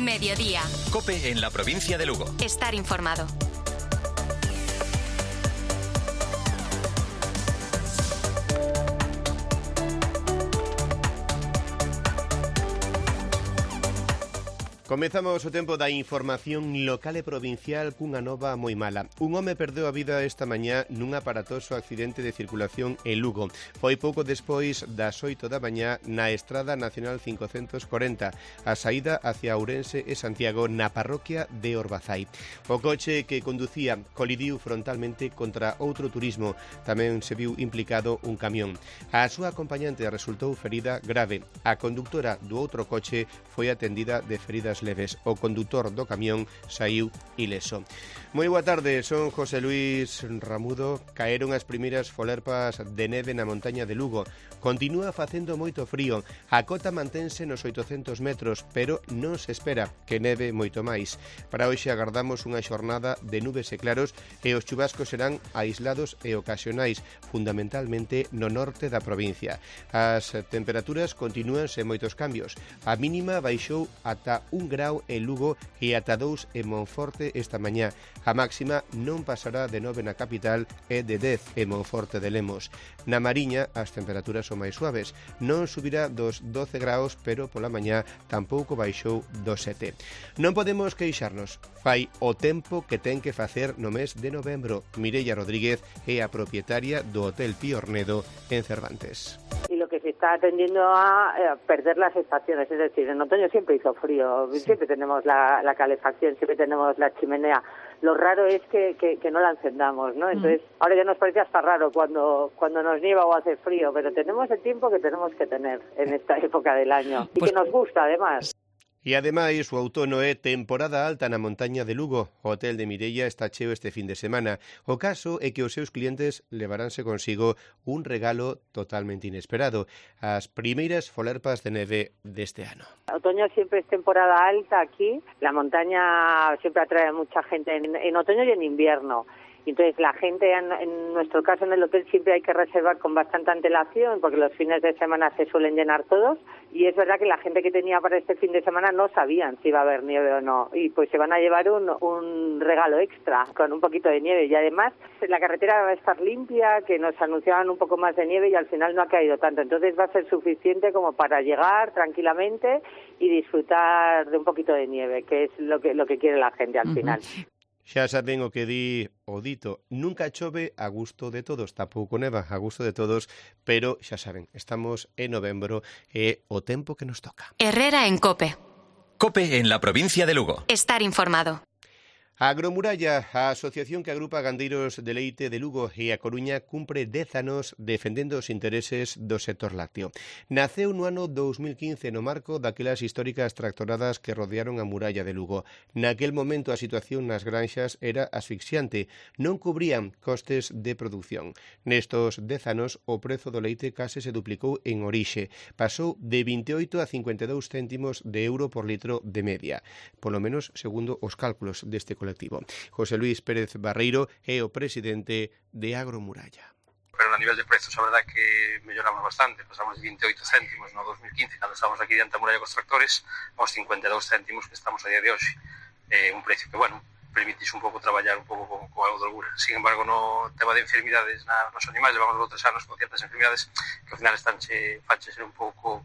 Mediodía. COPE en la provincia de Lugo. Estar informado. Comezamos o tempo da información local e provincial cunha nova moi mala. Un home perdeu a vida esta mañá nun aparatoso accidente de circulación en Lugo. Foi pouco despois das 8 da mañá na Estrada Nacional 540, a saída hacia Ourense e Santiago na parroquia de Orbazai. O coche que conducía colidiu frontalmente contra outro turismo. Tamén se viu implicado un camión. A súa acompañante resultou ferida grave. A conductora do outro coche foi atendida de feridas leves. O condutor do camión saiu ileso. Moi boa tarde, son José Luis Ramudo. Caeron as primeiras folerpas de neve na montaña de Lugo. Continúa facendo moito frío. A cota mantense nos 800 metros, pero non se espera que neve moito máis. Para hoxe agardamos unha xornada de nubes e claros e os chubascos serán aislados e ocasionais, fundamentalmente no norte da provincia. As temperaturas continúan sen moitos cambios. A mínima baixou ata 1 grau en Lugo e ata 2 en Monforte esta mañá. A máxima non pasará de 9 na capital e de 10 en Monforte de Lemos. Na Mariña as temperaturas son máis suaves. Non subirá dos 12 graus, pero pola mañá tampouco baixou dos 7. Non podemos queixarnos. Fai o tempo que ten que facer no mes de novembro. Mireia Rodríguez é a propietaria do Hotel Piornedo en Cervantes. Y lo que se está tendiendo a perder las estaciones, es decir, en otoño siempre hizo frío, siempre tenemos la calefacción, siempre tenemos la chimenea. Lo raro es que no la encendamos, ¿no? Entonces, ahora ya nos parece hasta raro cuando nos nieva o hace frío, pero tenemos el tiempo que tenemos que tener en esta época del año y que nos gusta además. E ademais, o outono é temporada alta na montaña de Lugo. O Hotel de Mireia está cheo este fin de semana. O caso é que os seus clientes levaránse consigo un regalo totalmente inesperado: as primeiras folerpas de neve deste ano. Otoño siempre es temporada alta aquí. La montaña siempre atrae a mucha gente en otoño y en invierno. Entonces la gente, en nuestro caso en el hotel, siempre hay que reservar con bastante antelación porque los fines de semana se suelen llenar todos y es verdad que la gente que tenía para este fin de semana no sabían si iba a haber nieve o no y pues se van a llevar un regalo extra con un poquito de nieve y además la carretera va a estar limpia, que nos anunciaban un poco más de nieve y al final no ha caído tanto, entonces va a ser suficiente como para llegar tranquilamente y disfrutar de un poquito de nieve, que es lo que quiere la gente al final. Xa saben o que di o dito, nunca chove a gusto de todos, tampouco neva a gusto de todos, pero xa saben, estamos en novembro e o tempo que nos toca. Herrera en COPE. COPE en la provincia de Lugo. Estar informado. A Agromuralla, a asociación que agrupa gandeiros de leite de Lugo e a Coruña, cumpre 10 anos defendendo os intereses do sector lácteo. Naceu no ano 2015 no marco daquelas históricas tractoradas que rodearon a muralla de Lugo. Naquel momento a situación nas granxas era asfixiante, non cubrían costes de produción. Nestos 10 anos o prezo do leite case se duplicou en orixe. Pasou de 28 a 52 céntimos de euro por litro de media, polo menos segundo os cálculos deste colectivo. José Luis Pérez Barreiro é o presidente de Agromuralla. Pero a nivel de prezos, a verdade é que melloramos bastante. Pasamos de 28 céntimos no 2015, cando estábamos aquí diante da muralla cos tractores, aos 52 céntimos que estamos a día de hoxe. Un precio que, bueno, permitís un pouco traballar un pouco con algo de holgura. Sin embargo, no tema de enfermidades nos animais, levamos 3 anos con ciertas enfermidades que ao final fache ser un pouco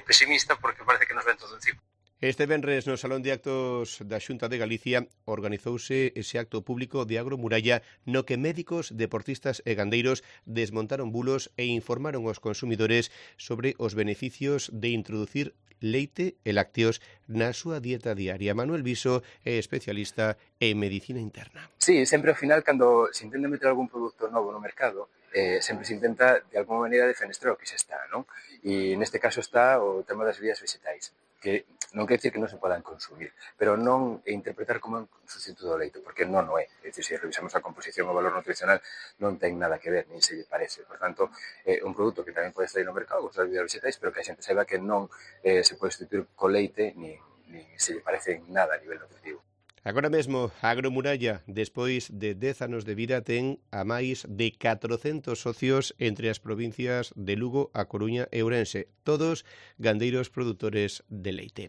pesimista porque parece que nos ven todo encima. Este venres no Salón de Actos da Xunta de Galicia organizouse ese acto público de Agromuralla no que médicos, deportistas e gandeiros desmontaron bulos e informaron aos consumidores sobre os beneficios de introducir leite e lácteos na súa dieta diaria. Manuel Viso é especialista en medicina interna. Sí, sempre ao final, cando se intenta meter algún produto novo no mercado, sempre se intenta de alguma maneira defenestrar o que xa está, non? E neste caso está o tema das bebidas vegetais, que non quer dizer que non se podan consumir, pero non interpretar como un sustituto do leite, porque non o é. É dicir, se revisamos a composición o valor nutricional non ten nada que ver, nin se lle parece. Por tanto, é un produto que tamén pode estar no mercado, as bebidas vegetais, pero que a xente saiba que non se pode sustituir co leite, nin se lle parece en nada a nivel nutritivo. Agora mesmo, a Agromuralla, despois de 10 anos de vida, ten a máis de 400 socios entre as provincias de Lugo, A Coruña e Ourense, todos gandeiros produtores de leite.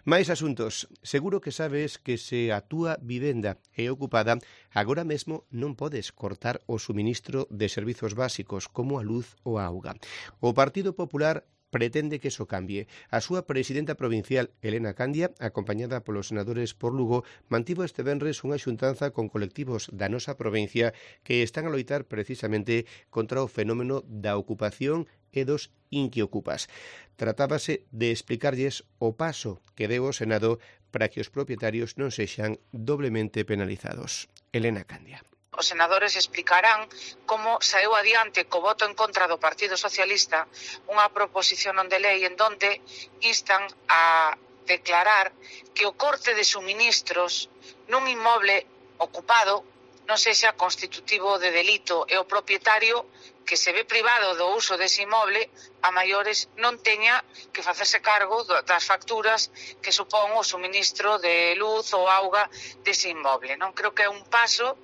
Mais asuntos. Seguro que sabes que se a túa vivenda é ocupada, agora mesmo non podes cortar o suministro de servizos básicos como a luz ou a auga. O Partido Popular pretende que iso cambie. A súa presidenta provincial, Elena Candia, acompañada polos senadores por Lugo, mantivo este venres unha xuntanza con colectivos da nosa provincia que están a loitar precisamente contra o fenómeno da ocupación e dos inquiocupas. Tratábase de explicarlles o paso que deu o Senado para que os propietarios non sexan doblemente penalizados. Elena Candia. Os senadores explicarán como saeu adiante co voto en contra do Partido Socialista unha proposición non de lei en donde instan a declarar que o corte de suministros nun inmoble ocupado non sexa constitutivo de delito e o propietario que se ve privado do uso dese inmoble a maiores non teña que facerse cargo das facturas que supón o suministro de luz ou auga dese inmoble. Non creo que é un paso.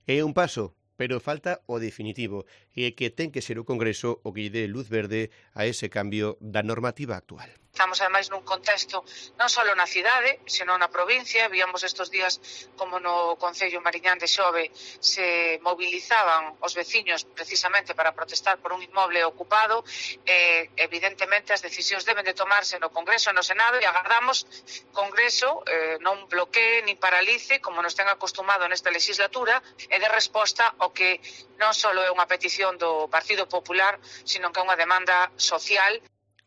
É un paso, pero falta o definitivo, e que ten que ser o Congreso o que lle dé luz verde a ese cambio da normativa actual. Estamos, ademais, nun contexto non só na cidade, senón na provincia. Víamos estes días como no Concello Mariñán de Xove se movilizaban os veciños precisamente para protestar por un inmoble ocupado. Evidentemente, as decisións deben de tomarse no Congreso e no Senado e agardamos Congreso non bloquee ni paralice, como nos ten acostumado nesta legislatura, e de resposta ao que non só é unha petición do Partido Popular, sino que é unha demanda social.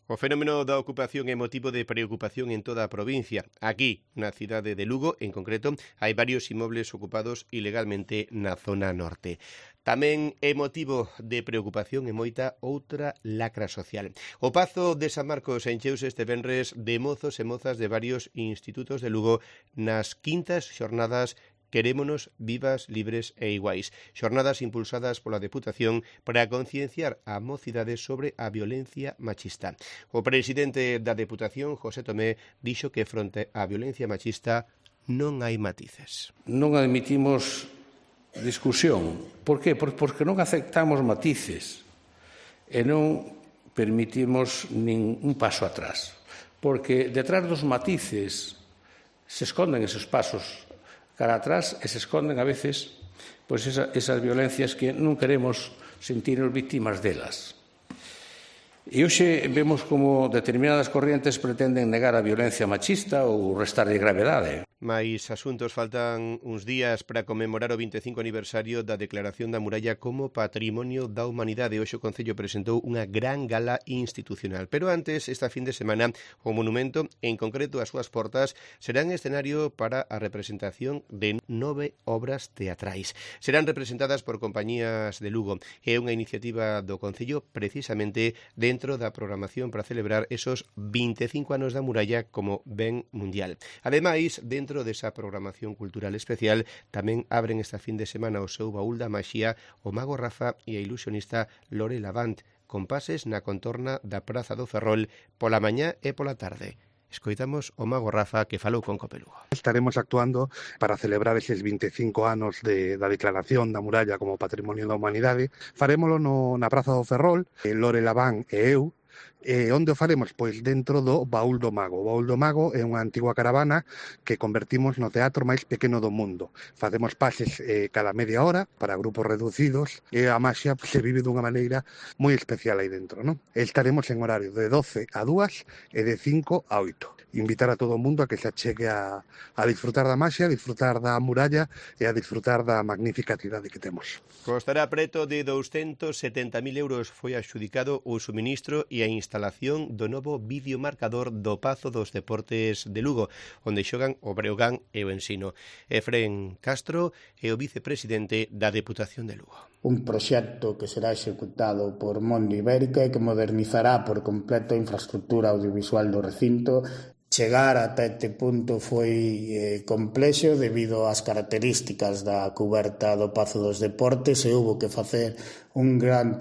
O fenómeno da ocupación é motivo de preocupación en toda a provincia. Aquí, na cidade de Lugo, en concreto, hai varios inmobles ocupados ilegalmente na zona norte. Tamén é motivo de preocupación e moita outra lacra social. O Pazo de San Marcos encheuse este venres de mozos e mozas de varios institutos de Lugo nas quintas xornadas Querémonos vivas, libres e iguais. Xornadas impulsadas pola Deputación para concienciar a mocidade sobre a violencia machista. O presidente da Deputación, José Tomé, dixo que fronte á violencia machista non hai matices. Non admitimos discusión. Por qué? Porque non aceptamos matices e non permitimos nin un paso atrás. Porque detrás dos matices se esconden esos pasos cara atrás e se esconden a veces pois esas violencias que non queremos sentirnos víctimas delas. E hoxe vemos como determinadas corrientes pretenden negar a violencia machista ou restarlle gravedade. Mais asuntos, faltan uns días para conmemorar o 25 aniversario da Declaración da Muralla como Patrimonio da Humanidade. Hoxe o Concello presentou unha gran gala institucional. Pero antes, esta fin de semana, o monumento, en concreto as súas portas, serán escenario para a representación de 9 obras teatrais. Serán representadas por compañías de Lugo. É unha iniciativa do Concello precisamente dentro da programación para celebrar esos 25 anos da muralla como ben mundial. Ademais, dentro desa programación cultural especial, tamén abren esta fin de semana o seu baúl da maxía o mago Rafa e a ilusionista Lore Lavant, con pases na contorna da Praza do Ferrol pola mañá e pola tarde. Escoitamos o mago Rafa que falou con Cope Lugo. Estaremos actuando para celebrar eses 25 anos da Declaración da Muralla como Patrimonio da Humanidade. Farémolo na Praza do Ferrol, Lore Lavant e eu. Onde o faremos? Pois dentro do Baúl do Mago. O Baúl do Mago é unha antigua caravana que convertimos no teatro máis pequeno do mundo. Facemos pases cada media hora para grupos reducidos e a maxia se vive dunha maneira moi especial aí dentro, non? Estaremos en horario de 12 a 2 e de 5 a 8. Invitar a todo o mundo a que se achegue a disfrutar da maxia, a disfrutar da muralla e a disfrutar da magnífica cidade que temos. Costará preto de 270.000 euros. Foi adxudicado o suministro e a instalación do novo videomarcador do Pazo dos Deportes de Lugo, onde xogan o Breogán e o Ensino. Efrén Castro é o vicepresidente da Deputación de Lugo. Un proxecto que será executado por Mondo Ibérica e que modernizará por completo a infraestructura audiovisual do recinto Chegar ata este punto foi complexo debido ás características da cuberta do Pazo dos Deportes e houve que facer un gran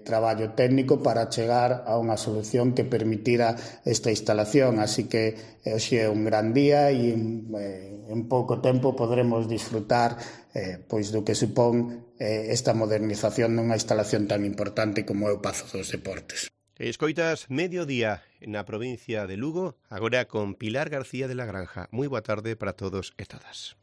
traballo técnico para chegar a unha solución que permitira esta instalación. Así que hoxe é un gran día e en pouco tempo podremos disfrutar pois do que supón esta modernización dunha instalación tan importante como é o Pazo dos Deportes. Escoitas Mediodía na provincia de Lugo, agora con Pilar García de la Granja. Moi boa tarde para todos e todas.